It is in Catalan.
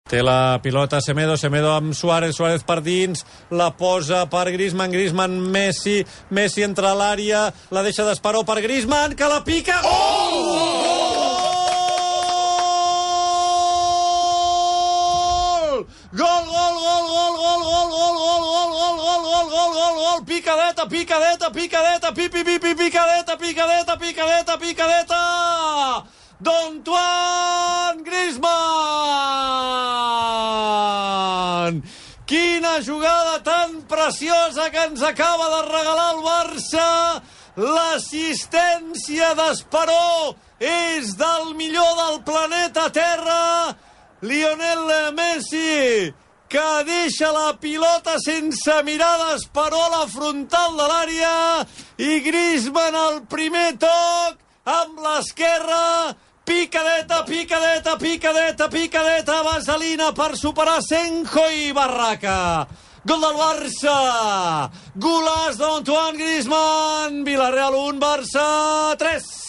Té la pilota Semedo amb Suárez per dins, la posa per Griezmann, Messi entra a l'àrea, la deixa d'Esperó per Griezmann, que la pica... Gol! Picadeta! d'Antoine Griezmann! Quina jugada tan preciosa que ens acaba de regalar el Barça! L'assistència d'Esperó és del millor del planeta Terra! Lionel Messi, que deixa la pilota sense mirar d'Esperó a la frontal de l'àrea, i Griezmann al primer toc amb l'esquerra. Picadeta, vaselina per superar Senjo i Barraca. Gol del Barça. Golaç d'Antoine Griezmann. Villarreal 1, Barça 3.